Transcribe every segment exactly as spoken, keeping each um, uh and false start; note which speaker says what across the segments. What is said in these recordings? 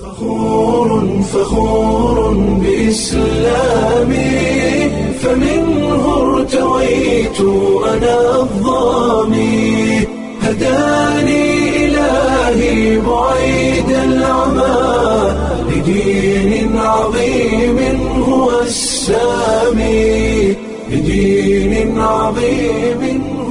Speaker 1: فخور فخور بإسلامي، فمنه ارتويت أنا الظامي، هداني إلهي بعيد العمى لدين عظيم هو السامي، لدين عظيم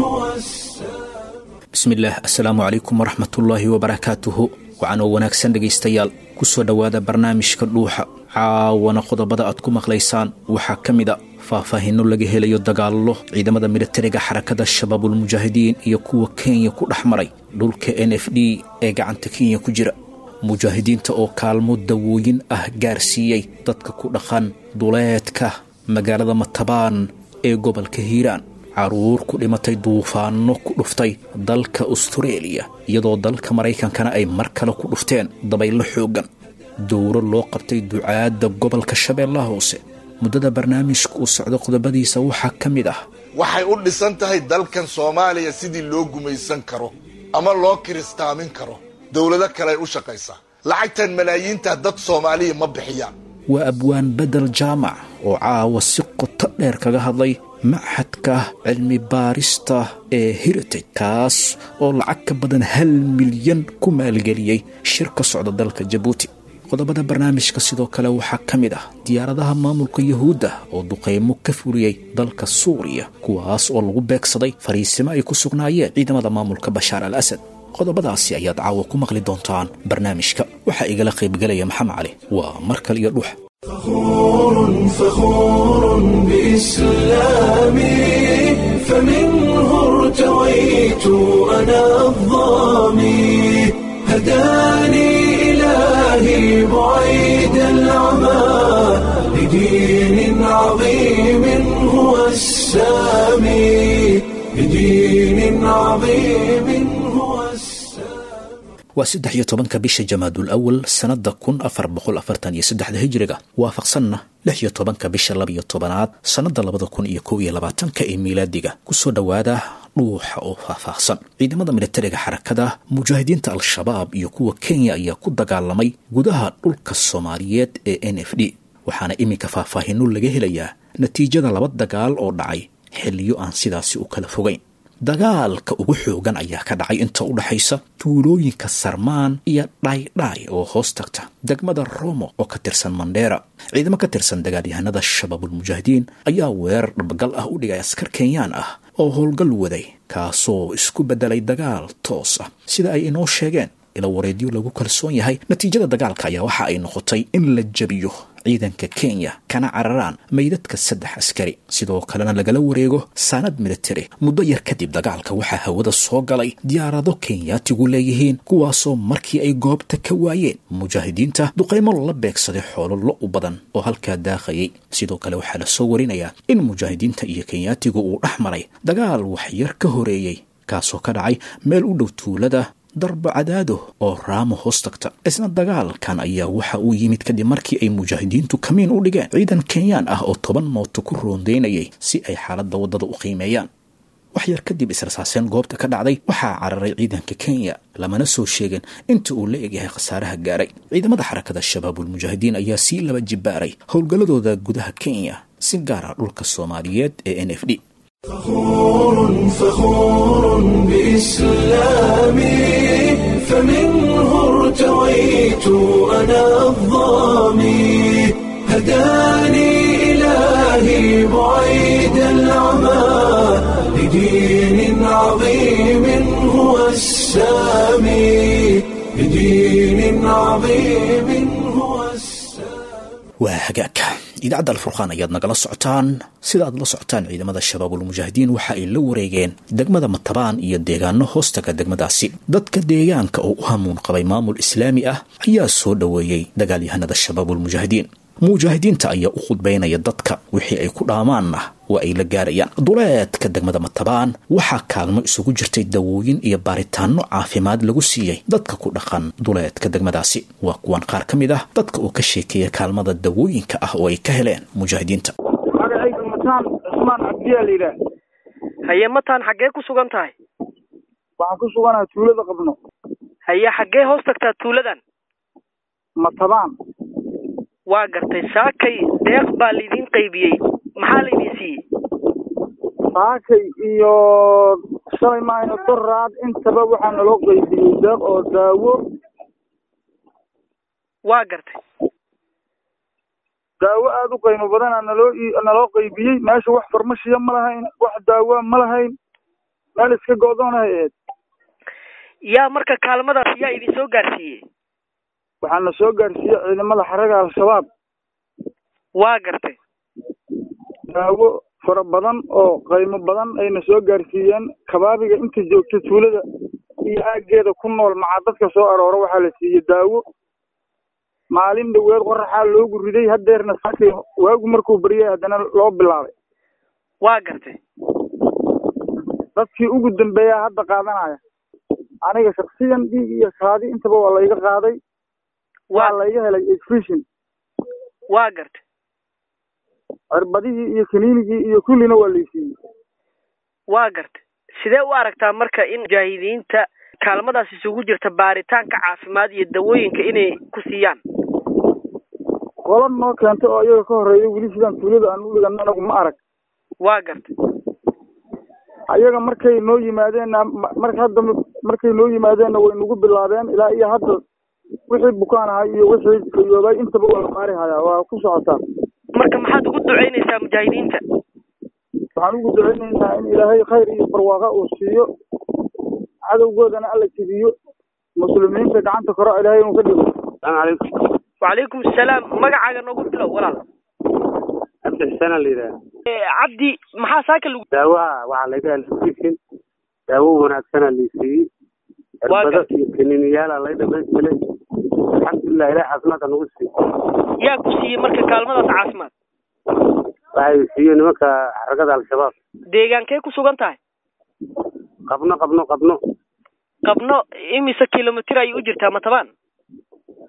Speaker 1: هو السامي.
Speaker 2: Bismillaah, assalaamu calaykum waraxmatullaahi wabarakaatuhu. Waxaan oo wanaagsan dhegaystayaal, ku soo dhowaada barnaamijka Dhuuxa. Caawana qodobada aad ku maqlaysaan waxaa ka mid a faahfaahinno laga helayo dagaallo ciidamada militariga Xarakada Shabaabulmujaahidiin iyo kuwa Kenya ku dhex maray dhulka N F D ee gacanta Kenya ku jira, mujaahidiinta oo kaalmo dawooyin ah gaarsiiyey dadka ku dhaqan duleedka magaalada Matabaan ee gobolka Hiiraan, caruur ku dhimatay duufaanno ku dhuftay dalka Astareeliya, iyadoo dalka Maraykankana ay mar kale ku dhufteen dabaylo xooggan, dowro loo qabtay ducaadda gobolka Shabeellaha Hoose. Muddada barnaamijka uu socdo qodobadiisa waxaa ka mid ah:
Speaker 3: waxay u dhisan tahay dalkan Soomaaliya sidii loo gumaysan karo ama loo kiristaamin karo. Dowlado kale ay u shaqaysaa. Lacagtan malaayiinta dad Soomaaliya ma bixiyaan.
Speaker 2: Waa abwaan Bedel Jaamac oo caawa si qoto dheer kaga hadlay maxadka cilmi baarista ee Heritage, kaas oo lacag ka badan hal milyan ku maalgeliyey shir ka socda dalka Jabuuti. Qodobada barnaamijka sidoo kale waxaa ka mid ah diyaaradaha maamulka Yahuudda oo duqeymo ka fuliyey dalka Suuriya, kuwaas oo lagu beegsaday fariisimo ay ku sugnaayeen ciidamada maamulka Bashaar al Asad. Qodobadaasi ayaad caawa ku maqli doontaan barnaamijka. Waxaa igala qaybgelaya Maxamed Cali. Waa mar kale iyo Dhuux.
Speaker 1: فخور فخور بإسلامي، فمنه ارتويت أنا الظامي، هداني إلهي بعيد العمى لدين عظيم هو السامي، لدين عظيم هو السامي.
Speaker 2: Waa saddex iyo tobanka bisha Jamaadul Awal sannadda kun afar boqol afartan iyo saddexda hijriga, waafaqsanna lix iyo tobanka bisha labiyo tobanaad sannadda labada kun iyo kow iyo labaatanka ee miilaadiga. Kusoo dhowaada Dhuuxa oo faahfaahsan. Ciidamada militariga Xarakada Mujaahidiinta Al-Shabaab iyo kuwa Kenya ayaa ku dagaalamay gudaha dhulka Soomaaliyeed ee N F D, waxaana iminka faahfaahinno laga helayaa natiijada laba dagaal oo dhacay xilliyo aan sidaasi u kala fogayn. Dagaalka ugu xoogan ayaa ka dhacay inta u dhaxaysa tuulooyinka Sarmaan iyo Dhaydhaay oo hoos tagta degmada Romo oo ka tirsan Mandheera. Ciidamo ka tirsan dagaalyahanada Shabaabulmujaahidiin ayaa weerar dhabagal ah u dhigay askar Kenyaan ah oo howlgal waday, kaasoo isku beddelay dagaal toos ah, sida ay inoo sheegeen ila wareedyo lagu kalsoon yahay. Natiijada dagaalka ayaa waxa ay noqotay in la jabiyo ciidanka Kenya, kana cararaan meydadka saddex askari, sidoo kalena lagala wareego saanad military. Muddo yar kadib dagaalka waxaa hawada soo galay diyaarado Kenyaatigu leeyihiin, kuwaasoo markii ay goobta ka waayeen mujaahidiinta duqaymo la beegsaday xoolo lo u badan oo halkaa daaqayay. Sidoo kale waxaa lasoo warinayaa in mujaahidiinta iyo Kenyaatigu uu dhex maray dagaal waxyar ka horeeyey, kaasoo ka dhacay meel u dhow tuulada Darbo Cadaado oo Raamo hoos tagta. Isna dagaalkan ayaa waxa uu yimid kadib markii ay mujaahidiintu kamiin u dhigeen ciidan Kenyaan ah oo toban mooto ku roondeynayay si ay xaaladda waddada u qiimeeyaan. Wax yar kadib israsaaseen goobta ka dhacday waxaa cararay ciidanka Kenya, lamana soo sheegin inta uu la egyahay khasaaraha gaaray. Ciidamada Xarakada Shabaabulmujaahidiin ayaa sii laba jibaaray howlgalladooda gudaha Kenya, si gaara dhulka Soomaaliyeed ee N F D.
Speaker 1: فخور فخور بإسلامي، فمنه ارتويت أنا الظامي، هداني إلهي بعيد العمى لدين عظيم هو السامي، لدين عظيم هو السامي.
Speaker 2: Waa hagaag, idaacadda Alfurqaan ayaad nagala socotaan. Sida aad la socotaan, ciidamada Shabaabulmujaahidiin waxa ay la wareegeen degmada Matabaan iyo deegaano hoostaga degmadaasi. Dadka deegaanka oo u hamuun qabay maamul islaami ah ayaa soo dhoweeyey dagaalyahanada Shabaabulmujaahidiin. Mujaahidiinta ayaa u khudbaynaya dadka, wixii ay ku dhaamaanna waa ay la gaarayaan. Duleedka degmada Matabaan waxaa kaalmo isugu jirtay dawooyin iyo baaritaano caafimaad lagu siiyey dadka ku dhaqan duleedka degmadaasi. Waa kuwan qaar ka mid ah dadka oo ka sheekeeya kaalmada dawooyinka ah oo ay ka heleen mujaahidiinta.
Speaker 4: Magacayga Mataan Cusmaan Cabdiyaa la yidhaah.
Speaker 5: Haye Mataan, xaggee ku sugan tahay?
Speaker 4: Waxaan ku suganahay tuulada Qabno.
Speaker 5: Haye, xaggee hoos tagtaa tuuladan?
Speaker 4: Matabaan.
Speaker 5: Waa gartay, saakay deeq baa laydin qaybiyey, maxaa laydin siiyey?
Speaker 4: Saakay iyo shalay maayno doraad intaba waxaa naloo qaybiyey deeq oo daawo.
Speaker 5: Waa gartay,
Speaker 4: daawo aada u qiimo badanaa naloo naloo qaybiyey. Meesha wax farmashiya ma lahayn, wax daawa ma lahayn, meel iska go'doonahay ahayd.
Speaker 5: Yaa marka kaalmadaas yaa idin soo gaarsiiyey?
Speaker 4: Waxaa na soo gaarsiiyey ciidamada xaraga Al-Shabaab.
Speaker 5: Waa gartay,
Speaker 4: daawo fara badan oo qiimo badan ayna soo gaarsiiyeen. Kabaabiga inta joogta tuulada iyo aaggeeda ku nool macaa dadka soo aroora waxaa la siiyey daawo. Maalin dhaweed qoraxaa loogu riday, haddeerna saakay waagu markuu baryay haddana loo bilaabay.
Speaker 5: Waa gartay,
Speaker 4: dadkii ugu dambeeyaa hadda qaadanaya. Aniga shaksiyan dhiig iyo kaadi intaba waa layga qaaday, waa layga helay exfishin.
Speaker 5: Waa gartay,
Speaker 4: cirbadihii iyo kaniinigii iyo kullina waa laysiiyey.
Speaker 5: Waa gartay, sidee u aragtaa marka in mujaahidiinta kaalmadaas isugu jirta baaritaanka caafimaad iyo dawooyinka inay ku siiyaan?
Speaker 4: Qola noo keentay oo iyaga ka horreeya weli sidaan tuulada aan u dhigano anagu ma arag.
Speaker 5: Waa gartay,
Speaker 4: ayaga markay noo yimaadeenna, marka hadda markay noo yimaadeenna way nagu bilaabeen. Ilaa iyo hadda wixii bukaan ahay iyo wixii fayoobay intaba waa la baari hayaa, waa ku socotaa.
Speaker 5: Marka maxaad ugu ducaynaysaa mujaahidiinta?
Speaker 4: Waxaan ugu ducaynaynaa in Ilaahay khayr iyo barwaaqa uu siiyo, cadowgoodana alla jebiyo, muslimiinta gacanta koro Ilaahay inuu ka dhigo.
Speaker 6: Asalaamu calaykum.
Speaker 5: Wacalaykum asalaam. Magacaaga noogu bilow walaal.
Speaker 6: Cabdi Xuseen aa la yidhaha.
Speaker 5: Cabdi, maxaa saaka lagu
Speaker 6: daawaha? Waxaa laga helay daawo wanaagsanaa laysiiyey, cirbado iyo kaniiniyaalaa lay dhamaystiray. Alxamdulilah, ilaah caafimaadka nagu siiyo.
Speaker 5: Yaa ku siiyey marka kaalmadaas caafimaad?
Speaker 6: Waxay siiyey nimanka xaragada Al-Shabaab.
Speaker 5: Deegaankee ku sugan tahay?
Speaker 6: Qabno qabno qabno
Speaker 5: Qabno imise kilomitir ayay u jirtaa Matabaan?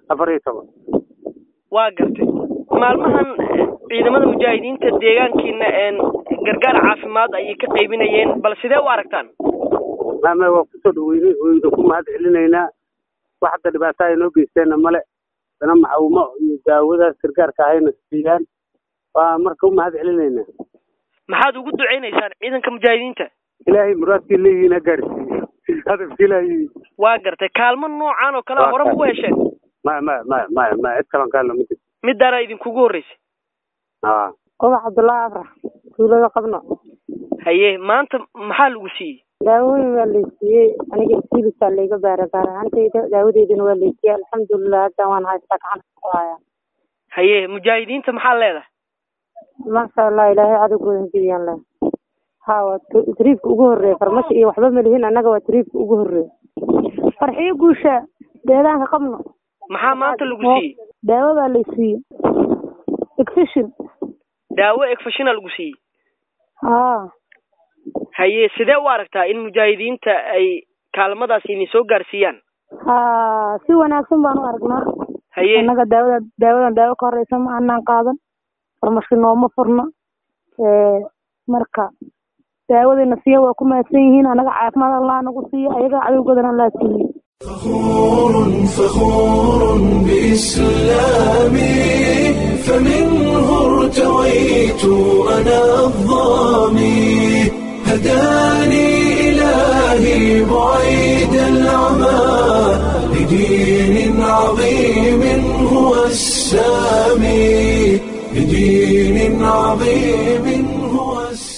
Speaker 6: Afar iyo toban.
Speaker 5: Waa gartay, maalmahan ciidamada mujaahidiinta deegaankiina gargaar caafimaad ayay ka qaybinayeen, bal sidee u aragtaan?
Speaker 6: Mame, waa kusoo dhaweynay, wayna ku mahad celinaynaa. Wax hadda dhibaato ay noo geysteenna male, dana macawmo iyo daawadaas gargaarka ahayna siiyaan, waa marka u mahad celinaynaa.
Speaker 5: Maxaad ugu ducaynaysaan ciidanka mujaahidiinta?
Speaker 6: Ilaahay muraadkii leeyihiin ha gaarsiiyo, hadafkii ilaahay.
Speaker 5: Waa gartay, kaalmo noocaan oo kale hore ma u hesheen?
Speaker 6: Maya maya maya maya maya, cid kalan kaalna ma jirto,
Speaker 5: midaana idinkugu horreysay.
Speaker 6: A
Speaker 7: Ubax Cabdullaahi Afrax, tuulada Qabno.
Speaker 5: Haye, maanta maxaa lagu siiyey?
Speaker 7: Daawooyin waa laysiiyey, aniga isilisaa layga baara gaar ahaantayda, daawadeydina waa laysiiyey, alxamdulilah, hadda waan haystaa, gacanta ku haya.
Speaker 5: Haye, mujaahidiinta maxaa leedahay?
Speaker 7: Maasha Allah, ilaahay cadowgooda hajibiyaan leh. Ha, waa tariifka ugu horreeya, farmashi iyo waxba malihin annaga, waa tariifka ugu horreeya. Farxiyo guusha, deegaanka Qabno.
Speaker 5: Maxaa maanta lagu siiyey?
Speaker 7: Daawo baa laysiiyey, exfishin.
Speaker 5: Daawo egfashina lagu siiyey?
Speaker 7: Haa.
Speaker 5: Haye, sidee u aragtaa in mujaahidiinta ay kaalmadaas idin soo gaarsiiyaan?
Speaker 7: Ha, si wanaagsan baan u aragnaa.
Speaker 5: Haye,
Speaker 7: annaga daawada daawadan daawo ka horeysa ma anaan qaadan, farmashi nooma furna, marka daawadayna siiya waa ku mahadsan yihiin. Annaga caafimaad Allah nagu siiya, ayaga cadowgoodana Allah siiye.
Speaker 1: فخور فخور بإسلامي، فمنه ارتويت أنا الظامي، هداني إلهي بعيد العمى لدين عظيم هو السامي، لدين عظيم هو السامي.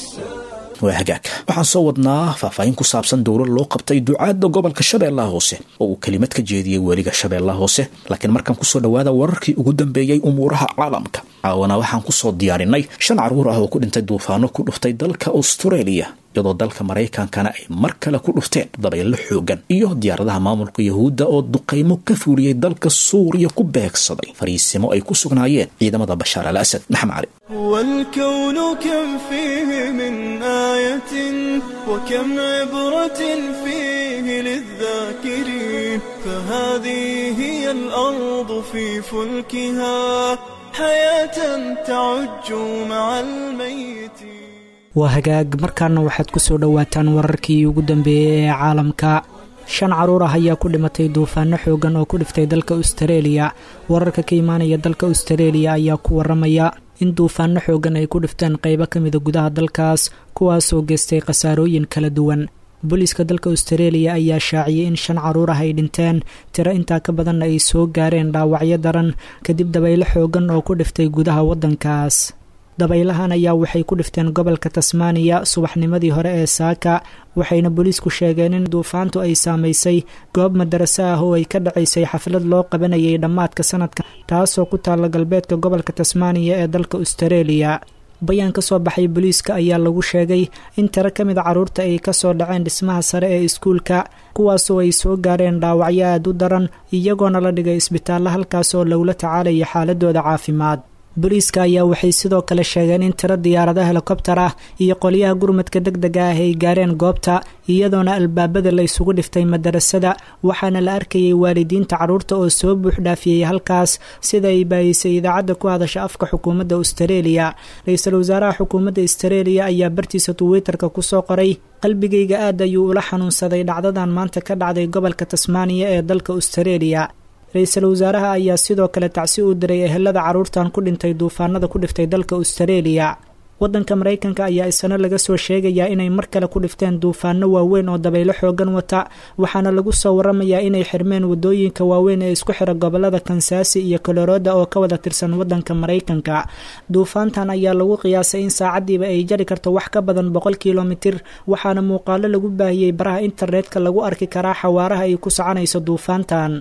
Speaker 2: Waa hagaag, waxaan soo wadnaa faahfaahin ku saabsan dowlad loo qabtay ducaadda gobolka Shabeellaha Hoose oo uu kelimad ka jeediyey weliga Shabeellaha Hoose, laakiin markaan kusoo dhowaada wararkii ugu dambeeyey umuuraha caalamka. Caawana waxaan kusoo diyaarinay shan carruur ah oo ku dhintay duufaano ku dhuftay dalka Australia, iyadoo dalka Maraykankana ay mar kale ku dhufteen dabaylo xoogan, iyo diyaaradaha maamulka Yahuudda oo duqaymo ka fuuliyey dalka Suuriya ku beegsaday fariisimo ay ku sugnaayeen ciidamada Bashaar al Asad. Maxamed Cali.
Speaker 1: والكون كم فيه من آية وكم عبرة فيه للذاكرين، فهذه هي الأرض في فلكها حياة تعج مع الميت.
Speaker 8: Waa hagaag, markaana waxaad ku soo dhowaataan wararkii ugu dambeeyey ee caalamka. Shan caruur ah ayaa ku dhimatay duufaano xoogan oo ku dhiftay dalka Austareeliya. Wararka ka imaanaya dalka Austareeliya ayaa ku waramaya in duufaano xoogan ay ku dhifteen qeybo ka mida gudaha dalkaas, kuwaasoo geystay khasaarooyin kala duwan. Booliiska dalka Austareeliya ayaa shaaciyey in shan caruur ah ay dhinteen, tiro intaa ka badanna ay soo gaareen dhaawacyo daran kadib dabaylo xoogan oo ku dhiftay gudaha waddankaas. Dabaylahan ayaa waxay ku dhifteen gobolka Tasmaaniya subaxnimadii hore ee saaka, waxayna booliisku sheegeen in duufaantu ay saamaysay goob madaraso ah oo ay ka dhacaysay xaflad loo qabanayay dhammaadka sanadka, taasoo ku taalla galbeedka gobolka Tasmaaniya ee dalka Austareeliya. Bayaan ka soo baxay booliiska ayaa lagu sheegay in tiro ka mid a carruurta ay kasoo dhaceen dhismaha sare ee iskuulka, kuwaasoo ay soo gaareen dhaawacyo aad u daran, iyagoona la dhigay isbitaallo halkaas oo lagula tacaalaya xaaladooda caafimaad. Booliiska ayaa waxay sidoo kale sheegeen in tiro diyaarada helikobtar ah iyo qolyaha gurmadka deg dega ah ay gaareen goobta, iyadoona albaabada la isugu dhiftay madarasada, waxaana la arkayay waalidiinta carruurta oo soo buuxdhaafiyey halkaas, sida ay baayisay idaacadda ku hadasha afka xukuumadda Austareeliya. Ra-iisul wasaaraha xukuumadda Austareeliya ayaa bartiisa Twitterka kusoo qoray: qalbigayga aad ayuu ula xanuunsaday dhacdadan maanta ka dhacday gobolka Tasmaaniya ee dalka Austareeliya. Ra-iisul wasaaraha ayaa sidoo kale tacsi u diray ehelada carruurtan ku dhintay duufaanada ku dhiftay dalka Austareeliya. Waddanka Maraykanka ayaa isna laga soo sheegayaa inay mar kale ku dhifteen duufaano waaweyn oo dabaylo xoogan wata, waxaana lagu soo waramayaa inay xirmeen waddooyinka waaweyn ee isku xira gobolada Kansaasi iyo Kolorada oo ka wada tirsan waddanka Maraykanka. Duufaantan ayaa lagu qiyaasay in saacadiiba ay jari karto wax ka badan boqol kilomitir, waxaana muuqaalo lagu baahiyey baraha internetka lagu arki karaa xawaaraha ay ku soconayso duufaantan.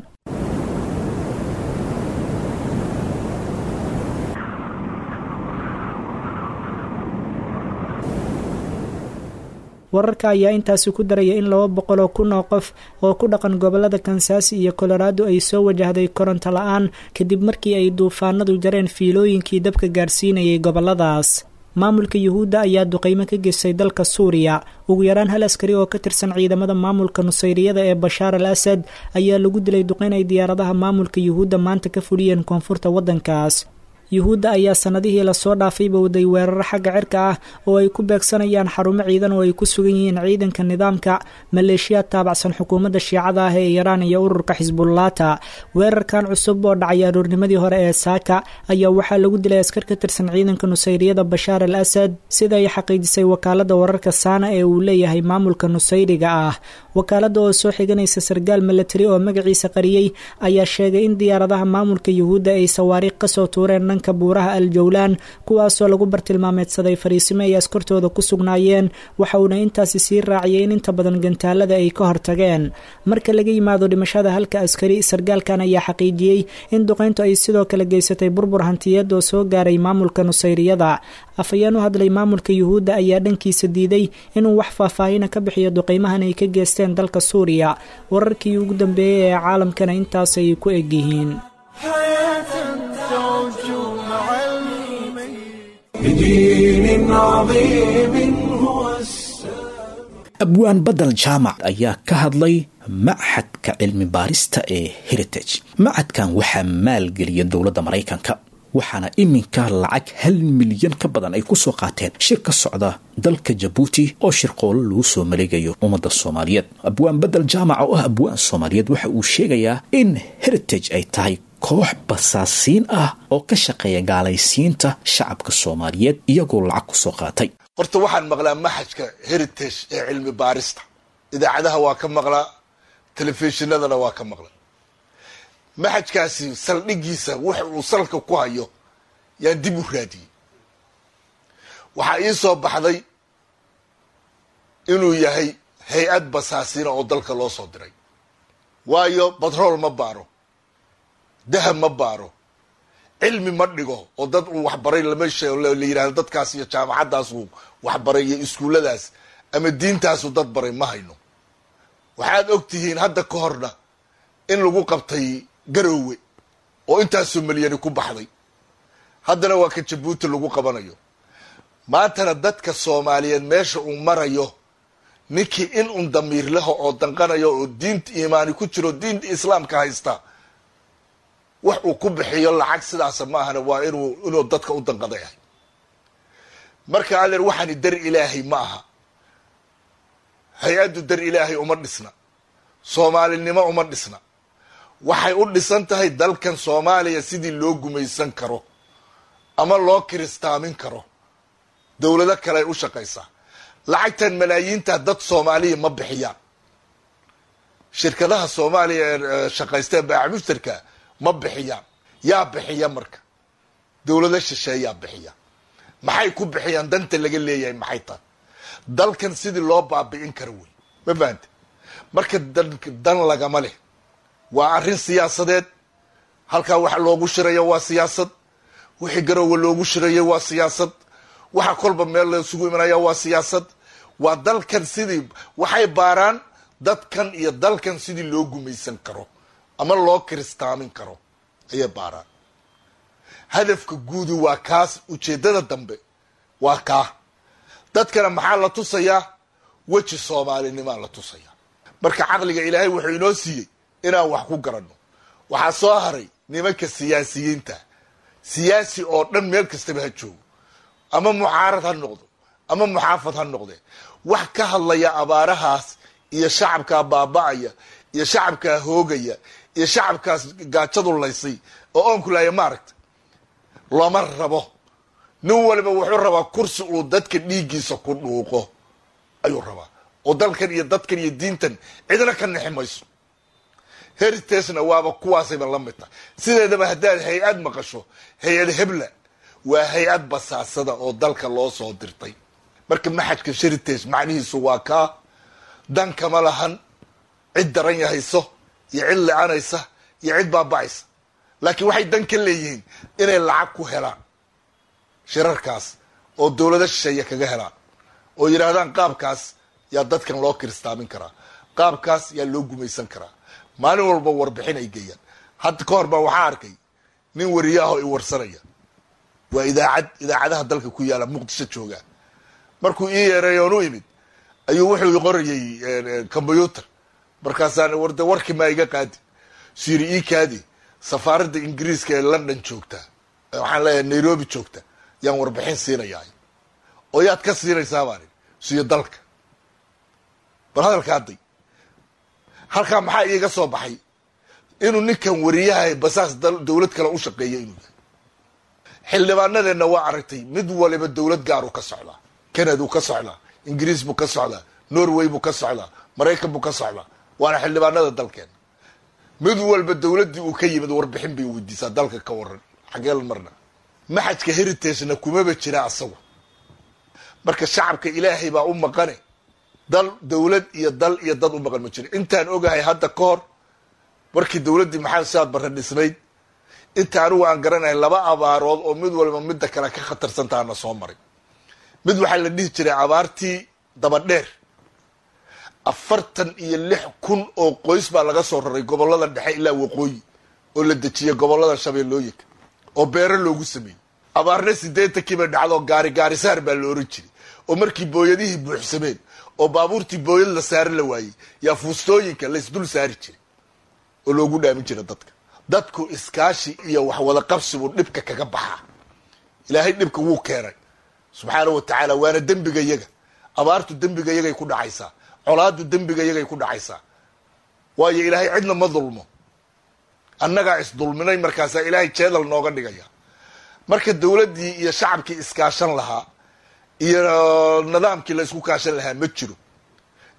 Speaker 8: Wararka ayaa intaasi ku daraya in laba boqol oo kun oo qof oo ku dhaqan gobolada Kansaasi iyo Colorado ay soo wajahday koronto la-aan kadib markii ay duufaanadu jareen fiilooyinkii dabka gaarsiinayay goboladaas. Maamulka Yuhuudda ayaa duqeymo ka geystay dalka Suuriya. Ugu yaraan hal askari oo ka tirsan ciidamada maamulka Nusayriyada ee Bashaar al Asad ayaa lagu dilay duqeyn ay diyaaradaha maamulka Yuhuudda maanta ka fuliyeen koonfurta waddankaas. Yuhuudda ayaa sanadihii lasoo dhaafayba waday weeraro xagga cirka ah oo ay ku beegsanayaan xarumo ciidan oo ay ku sugan yihiin ciidanka nidaamka, maleeshiyaad taabacsan xukuumadda shiicada ah ee Iiraan iyo ururka Xisbullaata. Weerarkan cusub oo dhacay aroornimadii hore ee saaka ayaa waxaa lagu dilay askar ka tirsan ciidanka Nusayriyada Bashaar al Asad, sida ay xaqiijisay wakaaladda wararka Saana ee uu leeyahay maamulka Nusayriga ah. Wakaaladda oo soo xiganaysa sargaal milatari oo magaciisa qariyey ayaa sheegay in diyaaradaha maamulka Yuhuudda ay sawaariikh kasoo tuureen dhanka buuraha Al-Jawlaan, kuwaasoo lagu bartilmaameedsaday fariisimo ay askartooda ku sugnaayeen. Waxa uuna intaasi sii raaciyay in inta badan gantaalada ay ka hortageen. Marka laga yimaado dhimashada halka askari, sargaalkan ayaa xaqiijiyey in duqeyntu ay sidoo kale geysatay burbur hantiyeed oo soo gaaray maamulka Nusayriyada. Afhayeen u hadlay maamulka Yuhuudda ayaa dhankiisa diiday inuu wax faahfaahina ka bixiyo duqeymahan ay ka geysteen dalka Suuriya. Wararkii ugu dambeeyey ee caalamkana intaasay ku egyihiin.
Speaker 2: Abwaan Badal Jaamac ayaa ka hadlay machadka cilmi baarista ee Heritage. Machadkan waxaa maalgeliya dowladda Maraykanka, waxaana iminka lacag hal milyan ka badan ay ku soo qaateen shir ka socda dalka Jabuuti oo shirqoolo lagu soo maleegayo ummadda Soomaaliyeed. Abwaan Badal Jaamac oo ah abwaan Soomaaliyeed waxa uu sheegayaa in Heritage ay tahay koox basaasiin ah oo ka shaqeeya gaalaysiinta shacabka Soomaaliyeed iyagoo lacag ku soo qaatay.
Speaker 3: Horta waxaan maqlaa maxajka Heritage ee cilmi baarista, idaacadaha waa ka maqlaa, telefishinadana waa ka maqlaa. Maxajkaasi saldhigiisa wax uu salka ku hayo yaan dib u raadiyey. Waxaa ii soo baxday inuu yahay hay-ad basaasiina oo dalka loo soo diray. Waayo batrool ma baaro, dahab ma baaro, cilmi ma dhigo oo dad uu waxbaray lama sheego, la yidhahdo dadkaas iyo jaamacaddaas uu waxbaray iyo iskuulladaas ama diintaasu dad baray ma hayno. Waxaad og tihiin hadda ka horna in lagu qabtay Garoowe oo intaasoo milyani ku baxday, haddana waa ka Jabuuti lagu qabanayo. Maantana dadka Soomaaliyeed meesha uu marayo, ninkii in un damiir leho oo danqanayo oo diinta iimaani ku jiro, diinta islaamka haysta, wax uu ku bixiyo lacag sidaasa ma ahana, waa inuu inuu dadka u danqada yahay. Marka adeer, waxaani dar Ilaahay ma aha, hay-addu dar Ilaahay uma dhisna, Soomaalinimo uma dhisna. Waxay u dhisan tahay dalkan Soomaaliya sidii loo gumaysan karo ama loo kiristaamin karo. Dowlado kale ay u shaqaysaa. Lacagtan malaayiinta dad Soomaaliya ma bixiyaan. Shirkadaha Soomaaliya ee shaqaysteen baac mushtarka ma bixiyaan. Yaa bixiya marka? Dowlado shisheeyaa bixiya. Maxay ku bixiyaan? Danta laga leeyahay maxay tahay? Dalkan sidii loo baabi'in karo wey. Ma fahantay? Marka dan lagama leh. Waa arrin siyaasadeed. Halkaa waxa loogu shiraya waa siyaasad. Wixii garowe loogu shiraya waa siyaasad. Waxa kolba meel la isugu imanaya waa siyaasad. Waa dalkan sidii waxay baaraan dadkan iyo dalkan sidii loo gumaysan karo ama loo kiristaamin karo ayay baaraan. Hadafka guudi waa kaas, ujeedada dambe waa kaa. Dadkana maxaa la tusayaa? Weji Soomaalinimaa la tusayaa. Marka caqliga Ilaahay wuxuu inoo siiyey inaan wax ku garanno. Waxaa soo haray nimanka siyaasiyiinta. Siyaasi oo dhan meel kastaba ha joogo, ama mucaarad ha noqdo ama muxaafad ha noqdee, wax ka hadlaya abaarahaas iyo shacabkaa baaba'aya iyo shacabkaa hoogaya iyo shacabkaas gaajadu laysay oo oonku laaya maaragta looma rabo. Nin waliba wuxuu rabaa kursi uu dadka dhiiggiisa ku dhuuqo ayuu rabaa, oo dalkan iyo dadkan iyo diintan cidna ka nixi mayso. Heritage-na waaba kuwaasayba la mid tahay. Sideedaba haddaad hay-ad maqasho, hay-ad hebla waa hay-ad basaasada oo dalka loo soo dirtay. Marka maxadka Heritage macnihiisu waa kaa. Dan kama lahan cid daran yahayso iyo cid licanaysa iyo cid baaba'aysa, laakiin waxay dan ka leeyihiin inay lacag ku helaan shirarkaas oo dowlado shisheeye kaga helaan, oo yidhaahdaan qaabkaas yaa dadkan loo kiristaamin karaa, qaabkaas yaa loo gumaysan karaa. Maalin walba warbixin ay geeyaan. Hadda ka hor baa waxaa arkay nin wariyaahoo i warsanaya, waa idaacad idaacadaha dalka ku yaala Muqdisho jooga. Markuu ii yeeray oon u imid ayuu wuxuu qorayay combyuutar. Markaasaan warde warkii maa iga qaadi siri ii kaadi, safaaradda Ingiriiska ee London joogta, waxaan leeyahay Nairobi joogta, yaan warbixin siinayaa. Oo yaad ka siinaysaa baan siyo dalka. Bal hadalka hadday halkaa maxaa iiga soo baxay? Inuu ninkan wariyaha basaas dowlad kale u shaqeeya inuu yahay. Xildhibaanadeenna waa aragtay, mid waliba dowlad gaar uu ka socdaa. Canada uu ka socdaa, Ingiriis buu ka socdaa, Norway buu ka socdaa, Maraykan buu ka socdaa. Waana xildhibaanada dalkeena. Mid walba dowladdii uu ka yimid warbixin bay weydiisaa dalka ka waran xagee la marna. Maxadka Heritage-na kumaba jira asagu. Marka shacabka Ilaahay baa u maqane, dal dowlad iyo dal iyo dad u maqan ma jiro. Intaan ogahay hadda ka hor markii dowladdii Maxamed Saad Barre dhisnayd, inta anigu aan garanahay laba abaarood oo mid walba midda kale ka khatarsantaana soo maray. Mid waxaa la dhihi jiray abaartii dabadheer. Afartan iyo lix kun oo qoys baa laga soo raray gobollada dhexe ilaa waqooyi, oo la dejiyey gobollada shabeellooyinka oo beero loogu sameeyey. Abaarna siddeetankii bay dhacdo, gaari gaarisaar baa la oran jiray, oo markii booyadihii buuxsameen oo baabuurtii booyad la saari la waayey yaa fuustooyinka la isdul saari jiray oo loogu dhaamin jiray dadka. Dadku iskaashi iyo wax wada qabsi buu dhibka kaga baxaa. Ilaahay dhibka wuu keenay subxaanahu wa tacaala, waana dembiga yaga. Abaartu dembiga yagay ku dhacaysaa, colaadu dembiga yagay ku dhacaysaa. Waayo Ilaahay cidna ma dulmo, annagaa isdulminay, markaasaa Ilaahay jeedal nooga dhigaya. Marka dowladdii iyo shacabkii iskaashan lahaa iyo nidaamkii la isku kaashan lahaa ma jiro.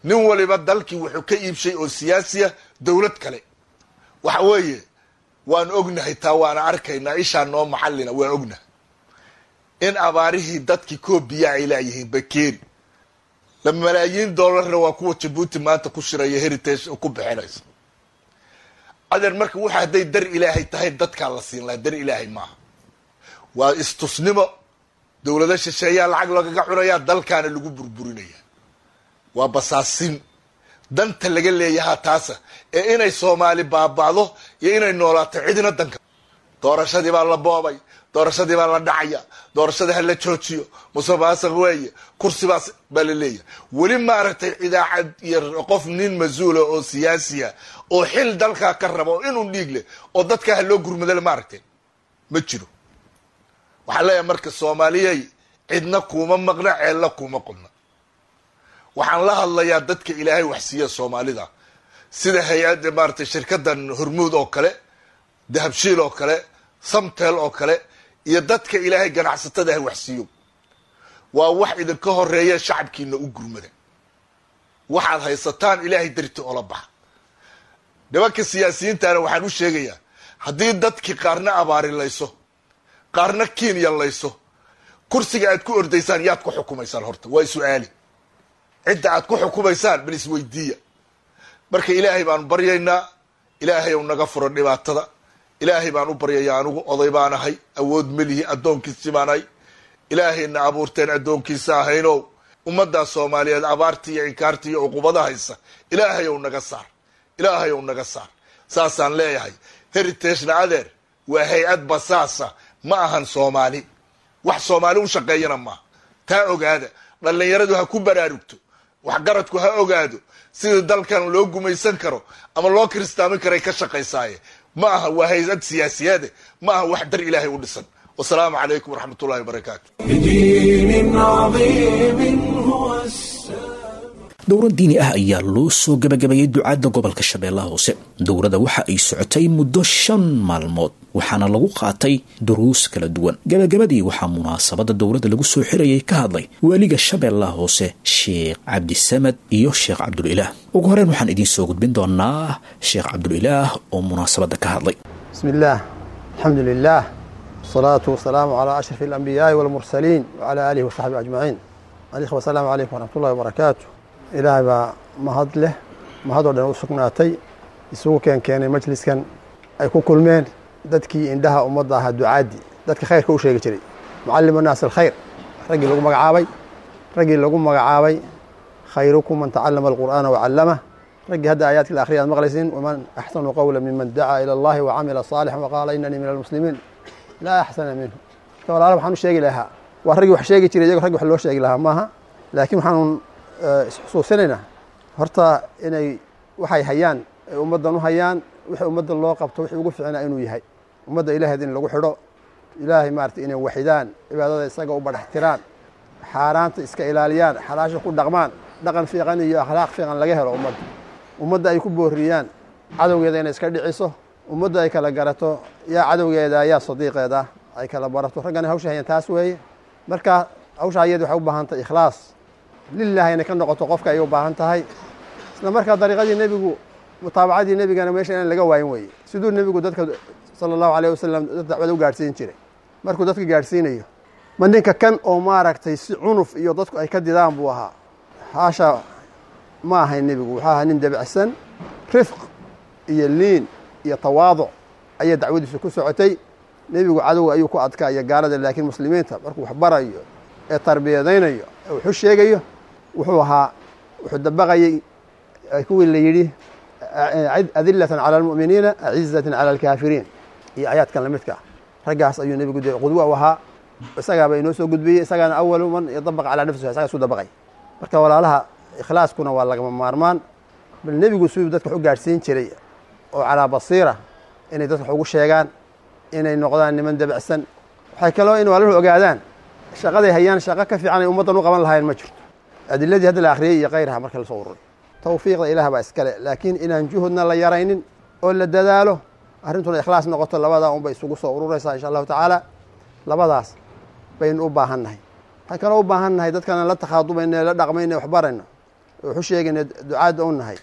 Speaker 3: Nin waliba dalkii wuxuu ka iibshay oo siyaasiya dowlad kale. Waxa weeye waan ognahay taa, waana arkaynaa, ishaa noo maxallina, waan ognahay in abaarihii dadkii koobiya ay laayihiin bakeeri la malaayiin doolarna waa kuwa Jabuuti maanta ku shiraya Heritage ku bixinaysa. Adeer marka waxa hadday dar Ilaahay tahay dadkaa la siin lahaa, dar Ilaahay maaha. Waa istusnimo, dowlado shisheeyaa lacag lagaga cunayaa, dalkaana lagu burburinaya. Waa basaasin danta laga leeyahaa taasa, ee inay Soomaali baaba'do iyo inay noolaato cidina danka. Doorashadii baa la boobay, doorashadii baa la dhacaya, doorashada ha la joojiyo, musuqmaasuq weeye, kursibaas baa la leeyahay. Weli maaragtay idaacad iyo qof nin mas-uula oo siyaasiya oo xil dalkaa ka raba oo inuu dhiig leh oo dadka ha loo gurmadale maaragtay ma jiro. Waxaan leeyahay marka Soomaaliyey cidna kuuma maqna, ceelna kuuma qodna. Waxaan la hadlayaa dadka Ilaahay wax siiya Soomaalida, Sida hay-adda maaratay shirkaddan Hormuud oo kale, Dahabshiil oo kale, Samtel oo kale, iyo dadka Ilaahay ganacsatada ah waxsiiyo, waa wax idinka horeeya. Shacabkiina u gurmada, waxaad haysataan Ilaahay darti oola baxa. Nimanka siyaasiyiintana waxaan u sheegayaa, haddii dadkii qaarna abaarilayso, qaarna Kenya layso, kursiga aad ku ordaysaan yaad ku xukumaysaan? Horta waa su-aali. Cidda aad ku xukumaysaan bal isweydiiya. Marka Ilaahay baanu baryaynaa, Ilaahay ou naga furo dhibaatada. Ilaahay baan u baryayaa. Anigu oday baan ahay, awood melihi, addoonkiisi baan ahay. Ilaahayna abuurteen addoonkiisa ahaynow, ummaddaa Soomaaliyeed abaarta iyo inkaarta iyo cuqubada haysa Ilaahay ou naga saar, Ilaahay ou naga saar, saasaan leeyahay. Heritage-na adeer waa hay-ad basaasa, ma ahan Soomaali, wax Soomaali u shaqeeyana maaha. Taa ogaada, dhallinyaradu ha ku baraarugto, waxgaradku ha ogaado sida dalkan loo gumaysan karo ama loo kiristaamin karay ka shaqaysaaye. Ma aha, waa hay-ad siyaasiyaade, ma aha wax dar Ilaahay u dhisan. Wasalaamu calaykum waraxmat ullahi wabarakaatu.
Speaker 1: بدين عظيم هو السلام.
Speaker 2: Dowrad diini ah ayaa loo soo gabagabeeyey ducaadda gobolka Shabeellaha Hoose. Dowladda waxa ay socotay muddo shan maalmood, waxaana lagu qaatay duruus kala duwan. Gabagabadii waxaa munaasabadda dowladda lagu soo xirayay ka hadlay waaliga Shabeellaha Hoose, Sheekh Cabdisamad, iyo Sheekh Cabdulilaah. Ugu horreyn waxaan idiin soo gudbin doonaa Sheekh Cabdulilaah oo munaasabadda ka hadlay.
Speaker 9: بسم الله، الحمد لله، والصلاة والسلام على أشرف الأنبياء والمرسلين وعلى آله وصحبه أجمعين. الإخوة، السلام عليكم ورحمة الله وبركاته. Ilaahay baa mahad leh, mahadoo dhan u sugnaatay, isugu keen keenay majliskan ay ku kulmeen dadkii indhaha ummadda ahaa, ducaadii dadka khayrka u sheegi jiray, mucallimu naas alkhayr, raggii lagu magacaabay raggii lagu magacaabay khayrukum man tacallama alqur'aana wacallamah, raggii hadda aayaadka la akhriya aad maqlaysiin, waman axsanu qawla miman dacaa ila Allahi wacamila saalixan waqaala inanii min almuslimiin, laa axsana minhu. Marka walaala, waxaan u sheegi lahaa waa raggii wax sheegi jiray, iyago raggi wax loo sheegi lahaa maaha, laakiin waxaanun isxusuusinaynaa horta inay waxay hayaan ay ummaddan u hayaan, wixii ummadda loo qabto wixii ugu fiicnaa inuu yahay ummadda Ilaaheed in lagu xidho, Ilaahay maarata inay waxidaan, cibaadada isaga u badhaxtiraan, xaaraanta iska ilaaliyaan, xalaasha ku dhaqmaan, dhaqan fiiqan iyo akhlaaq fiiqan laga helo ummadda, ummadda ay ku booriyaan cadowgeeda inay iska dhiciso, ummadda ay kala garato yaa cadowgeeda yaa sadiiqeeda ay kala barato. Raggana hawsha hayaan taas weeye. Marka hawsha ayada waxay u baahan tahay ikhlaas lilahi inay ka noqoto qofka ayay u baahan tahay. Isla markaa dariiqadii nebigu, mutaabacadii nebigana meesha inaan laga waayin weeye. Siduu nebigu dadka sala Allahu alayh wasalam dad dacwada u gaadhsiin jiray, markuu dadka gaadhsiinayo, ma ninka kan oo maaragtay si cunuf iyo dadku ay ka didaan buu ahaa? Haasha, ma ahayn. Nebigu wuxuu ahaa nin dabacsan, rifq iyo liin iyo tawaaduc ayaa dacwadiisu ku socotay. Nebigu cadowga ayuu ku adkaa iyo gaalada, laakiin muslimiinta markuu wax barayo ee tarbiyadaynayo ee wuxu sheegayo, wuxuu ahaa wuxuu dabaqayay kuwii la yidhi adilatan cala almu'miniina acizatan cala alkaafiriin iyo aayaadkan lamidka ah. Raggaas ayuu nebigu dee qudwa u ahaa, isagaaba inoo soo gudbiyey, isagaana awalu man yadabaqa calaa nafsihi, isagaa isu dabaqay. Marka walaalaha, ikhlaaskuna waa lagama maarmaan. Bal nebigu siduu dadka wax u gaadhsiin jiray oo calaa basiira inay dadka wax ugu sheegaan, inay noqdaan niman dabacsan. Waxay kaloo in walaaluhu ogaadaan shaqaday hayaan shaqo ka fiican ay ummaddan u qaban lahayn ma jirto, adiladii hadda la akhriyey iyo kayraha marka lasoo ururay. Tawfiiqda Ilaah baa iskale, laakiin inaan juhudna la yaraynin oo la dadaalo, arrintuna ikhlaas noqoto, labadaa unbay isugu soo ururaysaa insha Allahu tacaala. Labadaas baynu u baahan nahay. Waxaan kaloo u baahan nahay dadkaan la takhaadubayno, la dhaqmayno, wax barayno, waxu sheegayna, ducaadda u nahay,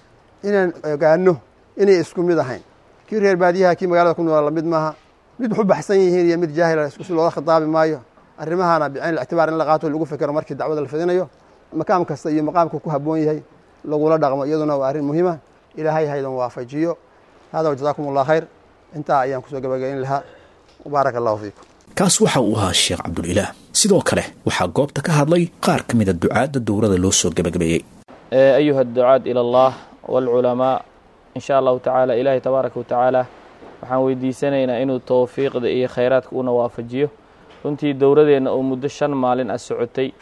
Speaker 9: inaan ogaano inay isku mid ahayn. Kii reer baadiyaha, kii magaalada ku noola lamid maaha. Mid wax u baxsan yihiin iyo mid jaahila isku si loola khitaabi maayo. Arrimahana bicayn ictibaar in la qaato, lagu fikero markii dacwada la fidinayo, makaam kasta iyo maqaamka ku habboon yahay lagula dhaqmo, iyaduna waa arrin muhiima. Ilaahay haydan waafajiyo. Hada wajazaakum Allah khayr. Intaa ayaan kusoo gabagayn lahaa. Baaraka Allahu fiikum.
Speaker 2: Kaas waxa uu ahaa Sheekh Cabdulilaah. Sidoo kale waxaa goobta ka hadlay qaar ka mida ducaadda dowrada loo soo gabagabeeyey.
Speaker 10: أيها الدعاة إلى الله والعلماء، إن شاء الله تعالى إلهي تبارك وتعالى waxaan weydiisanaynaa inuu towfiiqda iyo khayraadka una waafajiyo. Runtii dowladeenna oo muddo shan maalin ah socotay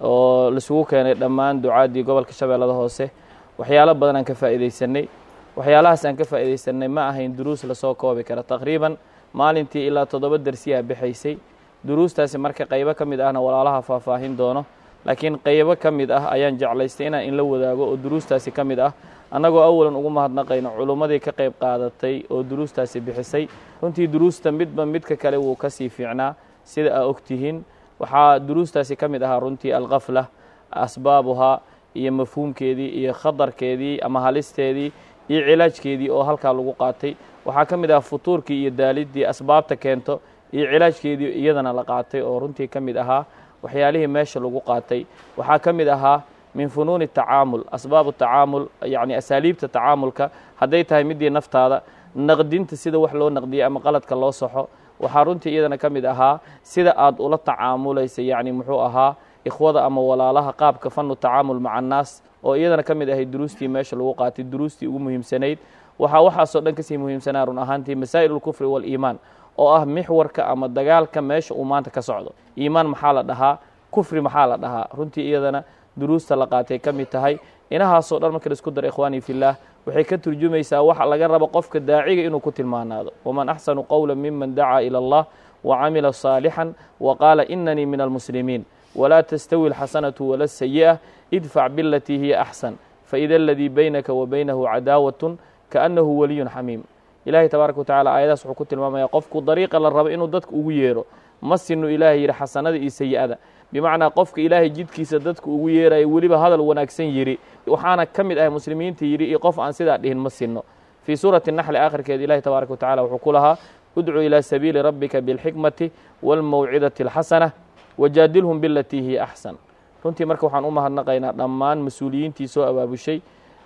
Speaker 10: oo laisugu keenay dhammaan ducaaddii gobolka Shabeellada Hoose, waxyaalo badan aan ka faa'iidaysanay. Waxyaalahaas aan ka faa'iidaysanay ma ahayn duruus lasoo koobi kara. Taqriiban maalintii ilaa toddoba darsiyaa bixaysay duruustaasi. Marka qaybo ka mid ahna walaalaha faahfaahin doono. Laakiin qaybo ka mid ah ayaan jeclaystay inaan inla wadaago oo duruustaasi ka mid ah, annagoo awalan ugu mahadnaqayno culummadii ka qayb qaadatay oo duruustaasi bixisay. Runtii duruusta midba midka kale wuu ka sii fiicnaa, sida aa ogtihiin. Waxaa duruustaasi ka mid ahaa runtii alkhafla, asbaabuhaa iyo mafhuumkeedii iyo khatarkeedii ama halisteedii iyo cilaajkeedii oo halkaa lagu qaatay. Waxaa ka mid ah futuurkii iyo daaliddii, asbaabta keento iyo cilaajkeedii iyadana la qaatay, oo runtii ka mid ahaa waxyaalihii meesha lagu qaatay. Waxaa ka mid ahaa min funuuni tacaamul, asbaabu tacaamul, yacni asaaliibta tacaamulka, hadday tahay midii naftaada naqdinta, sida wax loo naqdiyey ama qaladka loo saxo. Waxaa runtii iyadana ka mid ahaa sida aad ula tacaamulaysa, yacni muxuu ahaa, ikhwada ama walaalaha, qaabka fanu tacaamul maca annaas, oo iyadana ka mid ahayd duruustii meesha lagu qaatay, duruustii ugu muhiimsanayd. Waxaa waxaasoo dhan kasii muhiimsanaa run ahaantii masaa'il ulkufri waaliimaan, oo ah mixwarka ama dagaalka meesha uu maanta ka socdo. Iimaan maxaa la dhahaa? Kufri maxaa la dhahaa? Runtii iyadana duruusta la qaatay ka mid tahay. Inahaasoo dhan marka laisku daro, ikhwaanii fillaah, waxay ka turjumaysaa waxa laga rabo qofka daaciga inuu ku tilmaanaado. Waman axsanu qowla miman dacaa ila allah wacamila saalixan wa qaala inanii min almuslimiin. Walaa tastawi alxasanatu wala asayi'a, idfac bilatii hiya axsan, faida aladii baynaka wa baynahu cadaawatun kaannahu waliyun xamiim. Ilaahay tabaaraka watacala aayadaas wuxuu ku tilmaamaya qofku dariiqa la rabo inuu dadka ugu yeero. Ma sinu Ilaahay yidhi xasanada iyo sayi'ada, bimacnaa qofka Ilaahay jidkiisa dadka ugu yeerayo, weliba hadal wanaagsan yidhi, waxaana ka mid ahay muslimiinta yidhi, iyo qof aan sidaa dhihin ma sinno. Fii suurati naxli aakhirkeeda Ilahi tabaaraka watacala wuxuu ku lahaa: udcu ilaa sabiili rabbika bilxikmati waalmawcidati alxasana wajaadilhum bilatii hiya axsan. Runtii marka waxaan u mahadnaqaynaa dhammaan mas-uuliyiintii soo abaabushay,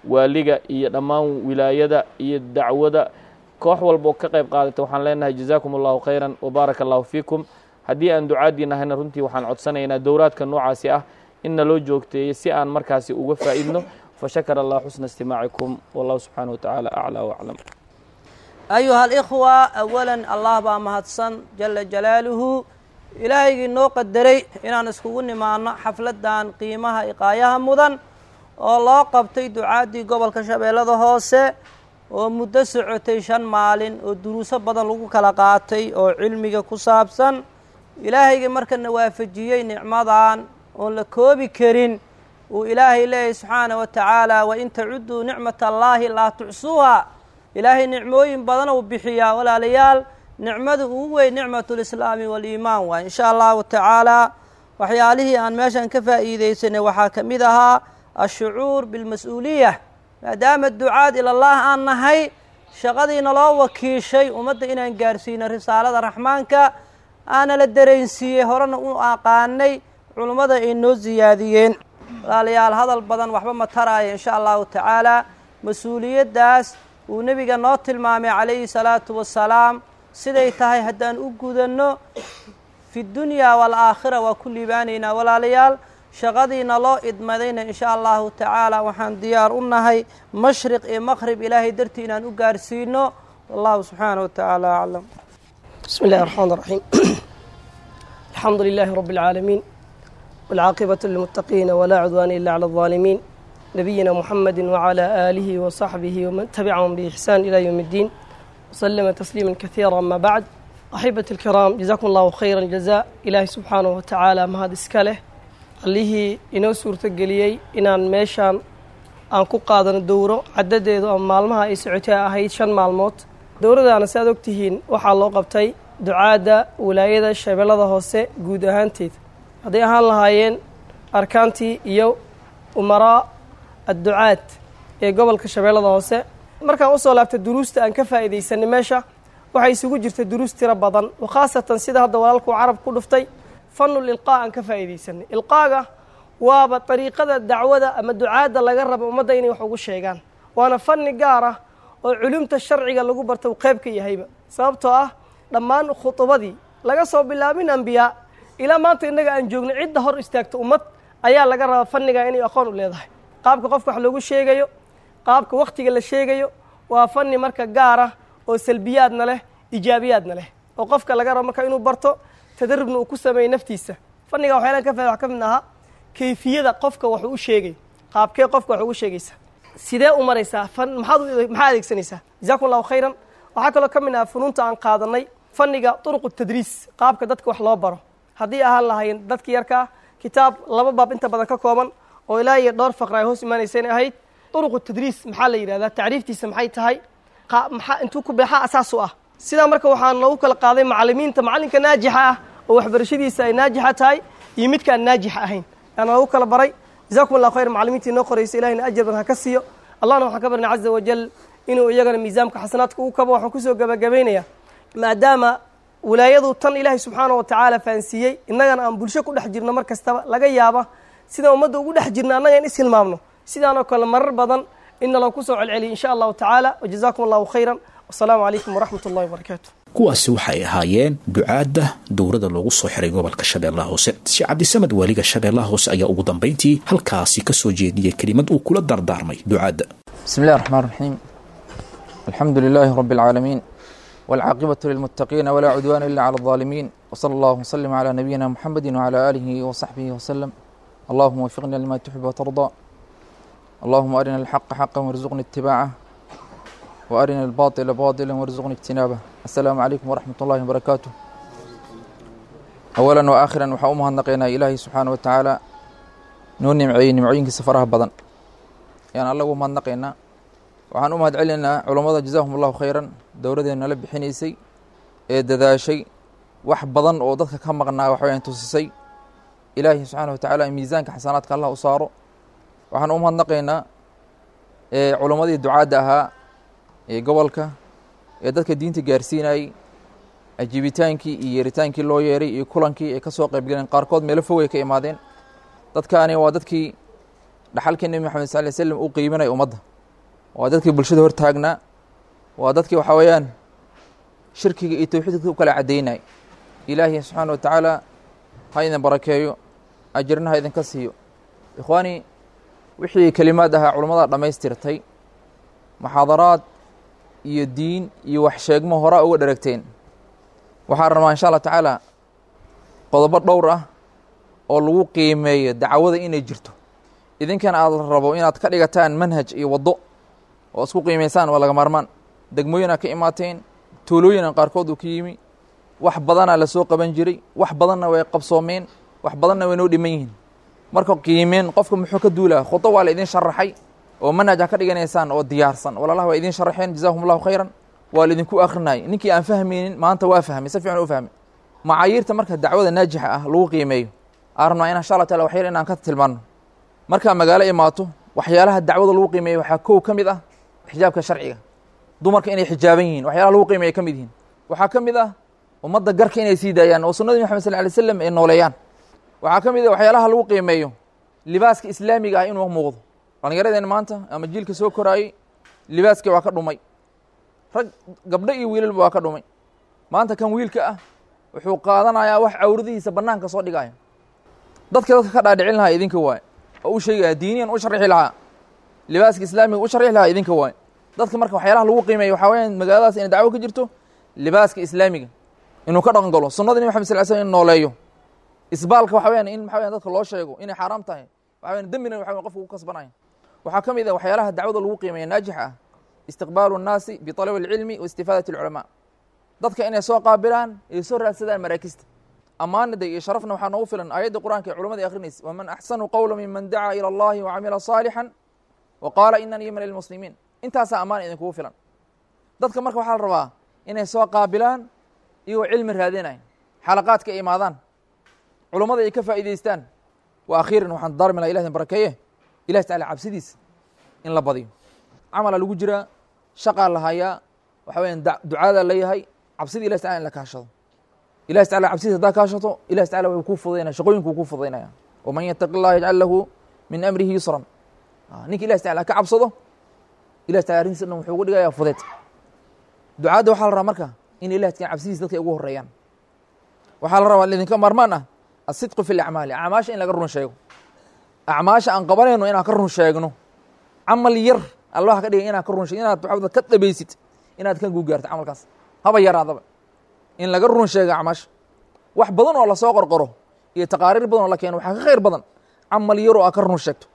Speaker 10: waaliga iyo dhammaan wilaayada iyo dacwada, koox walboo ka qayb qaadatay. Waxaan leenahay jazaakum allahu khayran wabaaraka allahu fiikum. Haddii aan ducaadii nahayna, runtii waxaan codsanaynaa dowraadka noocaasi ah in naloo joogteeyo si aan markaasi uga faa'idno. Fashakara allah xusna istimaacikum, wallahu subxaanahu watacaala aclaa waclam.
Speaker 11: Ayuha alikhwa, awalan Allah baa mahadsan jala jalaaluhu, Ilaahaygii noo qadaray inaan iskugu nimaano xafladdan qiimaha iqaayaha mudan oo loo qabtay ducaaddii gobolka Shabeellada Hoose, oo muddo socotay shan maalin, oo duruuso badan lagu kala qaatay oo cilmiga ku saabsan. Ilaahaygii markana waafajiyey nicmadan oon la koobi karin, uu Ilaahay leeyahy subxaana wa tacaala: wain tacuduu nicmat allaahi laa tuxsuuha. Ilaahay nicmooyin badan uu bixiyaa, walaalayaal. Nicmada ugu weyn nicmatulislaami waaliimaan waay. Insha allahu tacaala waxyaalihii aan meeshan ka faa'iideysanay waxaa ka mid ahaa ashucuur bilmas-uuliya, maadaama ducaad ilallah aan nahay, shaqadiina loo wakiishay ummadda inaan gaarsiino risaalada Raxmaanka aana la dareensiiyey, horena u aqaanay, culummada ay noo siyaadiyeen. Walaalayaal, hadal badan waxba ma taraayo. Insha allahu tacaala mas-uuliyaddaas uu nebiga noo tilmaamay calayhi salaatu wasalaam siday tahay haddaan u gudanno, fi dunyaa waalaakhira waa ku liibaanaynaa. Walaalayaal, shaqadiina loo idmadayna insha allahu tacaala waxaan diyaar u nahay mashriq iyo maqrib Ilaahay dartii inaan u gaarsiino. Wallahu subxaanahu wa tacaala aclam.
Speaker 5: بسم الله الرحمن الرحيم. الحمد لله رب العالمين، والعاقبة للمتقين، ولا عدوان إلا على الظالمين، نبينا محمد وعلى آله وصحبه ومن تبعهم بإحسان إلى يوم الدين وسلم تسليما كثيرا. أما بعد، أحبتي الكرام، جزاكم الله خير الجزاء. إلهي سبحانه وتعالى mahad iska leh, allihii inoo suurtageliyey inaan meeshaan aan ku qaadano dowro caddadeedu ama maalmaha ay socotay ahayd shan maalmood. Dowradaana si aad ogtihiin waxaa loo qabtay ducaadda wilaayada Shabeellada Hoose guud ahaanteed, hadday ahaan lahaayeen arkaantii iyo umaraa adducaad ee gobolka Shabeellada Hoose. Markaan usoo laabtay duruusta aan ka faa'iidaysanay meesha, waxay isugu jirta duruus tiro badan, wakhaasatan sida hadda walaalkuu carab ku dhuftay, fanul ilqaa aan ka faa'iidaysanay. Ilqaaga waaba dariiqada dacwada ama ducaadda laga rabo ummadda inay wax ugu sheegaan, waana fanni gaar ah oo culumta sharciga lagu barta uu qayb ka yahayba, sababtoo ah dhammaan khudubadii laga soo bilaabin ambiyaa ilaa maanta innaga aan joogno, cidda hor istaagta ummad ayaa laga rabaa fanniga inay aqoon u leedahay, qaabka qofka wax loogu sheegayo, qaabka wakhtiga la sheegayo. Waa fanni marka gaar ah oo salbiyaadna leh, ijaabiyaadna leh, oo qofka laga rabo marka inuu barto, tadarubna uu ku sameeyo naftiisa. Fanniga waxyaalaan ka fahda wax ka mid ahaa kayfiyada qofka wax uu sheegay, qaabkee qofka wax ugu sheegaysa, sidee u maraysaa, fan maxaad maxaa adeegsanaysaa. Jazakum allahu khayran. Waxaa kaloo ka mid ahaa funuunta aan qaadanay fanniga turuqu tadriis, qaabka dadka wax loo baro, haddii ahaan lahayn dadka yarkaa Kitaab laba baab inta badan ka kooban oo ilaa iyo dhowr faqra ay hoos imaanayseen ahayd. Turuqu tadriis maxaa la yidhahdaa, tacriiftiisa maxay tahay, maxaa intuu ku beexaa asaas u ah. Sidaa marka waxaa noogu kala qaaday macallimiinta, macallinka naajixa ah oo waxbarashadiisa ay naajixa tahay iyo midka aan naajixa ahayn yaa noogu kala baray. Jazakum allahu khayr macallimiintii noo qoraysa, ilahina ajar badan ha ka siiyo. Allahna waxaan ka barnay caza wajal inuu iyagana miisaamka xasanaadka ugu kabo. Waxaan kusoo gabagabaynayaa maadaama wilaayadu tan ilaahay subxaana wa tacaala fahansiiyey, innagana aan bulsho ku dhex jirno mar kastaba, laga yaaba sidaan ummadda ugu dhex jirna annaga in ishilmaamno, sidaanoo kale marar badan in naloo kusoo celceliyo insha allahu tacaala. Wajazakum allahu khayran, wasalaamu calaykum waraxmat ullahi wabarakaatu.
Speaker 2: Kuwaasi waxay ahaayeen ducaadda dowladda loogu soo xiray gobolka Shabeellaha Hoose. Sheekh Cabdisamed, waaliga Shabeellaha Hoose, ayaa ugu dambayntii halkaasi ka soo jeediyey kelimad uu kula dardaarmay ducaadda.
Speaker 12: بسم الله الرحمن الرحيم، الحمد لله رب العالمين، والعاقبة للمتقين، ولا عدوان إلا على الظالمين، وصلى الله وسلم على نبينا محمد وعلى آله وصحبه وسلم. اللهم وفقنا لما تحب وترضى، اللهم أرنا الحق حقا وارزقنا اتباعه، وأرنا الباطل باطلا وارزقنا اجتنابه. السلام عليكم ورحمة الله وبركاته. أولا وآخرا waxaa u mahadnaqaynaa Ilaahay subxaana wa tacaala noo nimceeyey nimcooyinkiisa faraha badan ayaan alla ugu mahadnaqaynaa. Waxaan u mahad celinaynaa culammada, jazaahum allahu khayran, dowladeena nala bixinaysay ee dadaashay, wax badan oo dadka ka maqnaa wax wayaan tusisay. Ilaahay subxaana wa tacaala miisaanka xasanaadka allah u saaro. Waxaan u mahadnaqaynaa ee culammadii ducaadda ahaa ee gobolka ee dadka diinta gaarsiinayay, ajiibitaankii iyo yeeritaankii loo yeeray iyo kulankii ay ka soo qayb galeen. Qaarkood meelo fogay ka imaadeen. Dadkaani waa dadkii dhaxalkii Nebi Maxamed sal ly slam u qiiminaya ummadda, waa dadkii bulshada hortaagnaa, waa dadkii waxaa weeyaan shirkiga iyo towxiidka u kala caddaynay. Ilaahi subxaana wa tacaala ha idin barakeeyo, ajirna ha idinka siiyo. Ikhwaani, wixii kelimaad ahaa culammada dhammaystirtay, muxaadaraad iyo diin iyo wax sheegmo horaa uga dheragteen. Waxaan rabaa insha allah tacaala qodobo dhowr ah oo lagu qiimeeyo dacwada inay jirto, idinkana aad rabo inaad ka dhigataan manhaj iyo waddo oo isku qiimaysaan, waa laga maarmaan. Degmooyinaa ka imaateen, tuulooyina qaarkood uu ka yimi, wax badanaa lasoo qaban jiray, wax badanna way qabsoomeen, wax badanna way noo dhiman yihiin. Marka qiimeen qofka muxuu ka duulaa? Khudo waa la idin sharaxay oo manhaj ha ka dhiganaysaan oo diyaarsan. Walaalaha waa idin sharaxeen, jazaahum allahu khayran, waa laidinku akrinayay. Ninkii aan fahmaynin maanta waa fahmay, si fiican u fahmay. Macaayiirta marka dacwada naajixa ah lagu qiimeeyo aan rabnaa in insha allah taala waxyar inaan ka tilmaanno. Markaa magaalo imaato, waxyaalaha dacwada lagu qiimeeyo waxaa kow ka mid ah xijaabka sharciga, dumarka inay xijaaban yihiin, waxyaalaha lagu qiimeeya ka mid yihiin. Waxaa ka mid ah ummadda garka inay sii daayaan oo sunnadii Maxamed sal alay slam ay nooleeyaan. Waxaa ka mid ah waxyaalaha lagu qiimeeyo libaaska islaamiga ah inuu muuqdo. Dhallinyaradeen maanta ama jiilka soo koraayey libaaskii waa ka dhumay, rag gabdho iyo wiilalba waa ka dhumay. Maanta kan wiilka ah wuxuu qaadanayaa wax cawradihiisa bannaanka soo dhigaya. Dadka dadka ka dhaadhicin lahaa idinka waaye, oo u sheegaya diiniyan u sharxi lahaa, libaaska islaamiga u sharxi lahaa idinka waaye. Dadka marka waxyaalaha lagu qiimeeyo waxaa weyaan magaaladaas inay dacwo ka jirto, libaaska islaamiga inuu ka dhaqan galo, sunnada Nabi Maxamed sal ly slam in nooleeyo, isbaalka waxa weyaan in maxa weyan dadka loo sheego inay xaaraam tahay, waxa weyan dembina waxa weyan qofka ku kasbanaya. Waxaa ka mid ah waxyaalaha dacwada lagu qiimeeya naajix ah istiqbaalu nnaasi bitalabi alcilmi wa istifaadati alculamaa, dadka inay soo qaabilaan ay soo raadsadaan maraakista. Ammaanada iyo sharafna waxaa noogu filan aayadda qur-aanka ee culamada akhrinaysa: waman axsanu qowla miman dacaa ila allahi wacamila saalixan wa qaala inanii min almuslimiin. Intaasaa ammaan idinkugu filan. Dadka marka waxaa la rabaa inay soo qaabilaan iyagoo cilmi raadinaya, xalaqaadka ay imaadaan, culummada ay ka faa'iidaystaan. Wa akhiiran waxaan darmi laha, ilah idin barakeeye, ilahi tacala cabsidiisa in la badiyo. Camala lagu jiraa, shaqaa la hayaa, waxa weeyaan ducaadaa la yahay, cabsidii ilahi tacala in la kaashado. Ilahi tacala cabsidiisa haddaa kaashato, ilahi tacala wuxuu kuu fududaynaya shaqooyinkuu kuu fududaynaya. Waman yattaqi allaha yajcal lahu min amrihi yusran. Ninka ilahi tacala ka cabsado, ilahi tacala arrintiisa dhan wuxuu ugu dhigayaa fudeed. Ducaadda waxaa la rabaa marka in ilahi tacala cabsidiisa dadka ay ugu horreeyaan. Waxaa la rabaa idinka maarmaan ah asidqu fi lacmaali, acmaasha in laga run sheego, acmaasha aan qabanayno inaan ka run sheegno. Camal yar allah ka dhigay inaan ka run sheego, inaad waxaad ka dhabaysid inaad ka guugaarto camalkaas, haba yaraadaba in laga run sheego acmaasha. Wax badan oo lasoo qorqoro iyo taqaariir badan oo la keeno waxaa ka khayr badan camal yar oo aad ka run sheegto.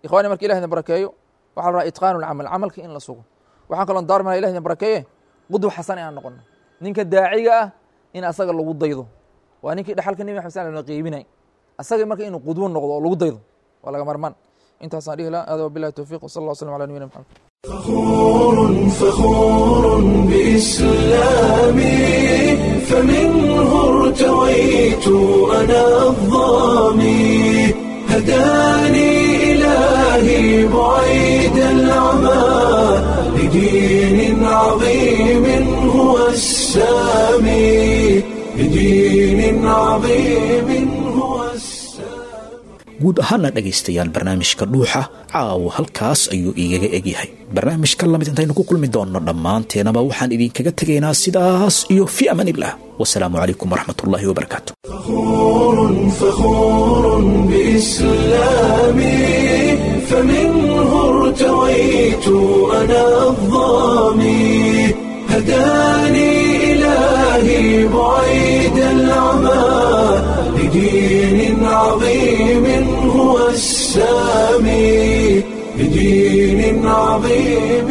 Speaker 12: Ikhwaani, marka ilah idin barakeeyo, waxaa la rabaa itqaanu lcamal, camalka in la sugo. Waxaan kaloo daarmi laha, ilah idin barakeeye, qudwa xasan inaan noqono. Ninka daaciga ah in asaga lagu daydo waa ninkii dhaxalka Nebi Maxamed sal la qeybinay. Asaga marka inuu qudwo noqdo oo lagu daydo waa laga marmaan. Intaasaan dhihi lahaa. Hada wabillahi towfiiq, wasala allah waslam ala nabiyina Maxamed.
Speaker 1: فخور فخور بإسلامي، فمنه ارتويت أنا الظامي، هداني إلهي بعيد العمى لدين عظيم هو السامي، لدين عظيم هو السامي.
Speaker 2: Guud ahaana dhegaystayaal, barnaamijka Dhuuxa caawa halkaas ayuu igaga egyahay. Barnaamijka lamid intaynu ku kulmi doonno, dhammaanteenaba waxaan idinkaga tegaynaa sidaas iyo fi amaanillah. Wasalaamu calaykum waraxmatullaahi wabarakaatu.
Speaker 1: فخور فخور بإسلامي، فمنه ارتويت أنا الظامي، هداني إلهي بعيد العمى لدين عظيم هو السامي، لدين عظيم.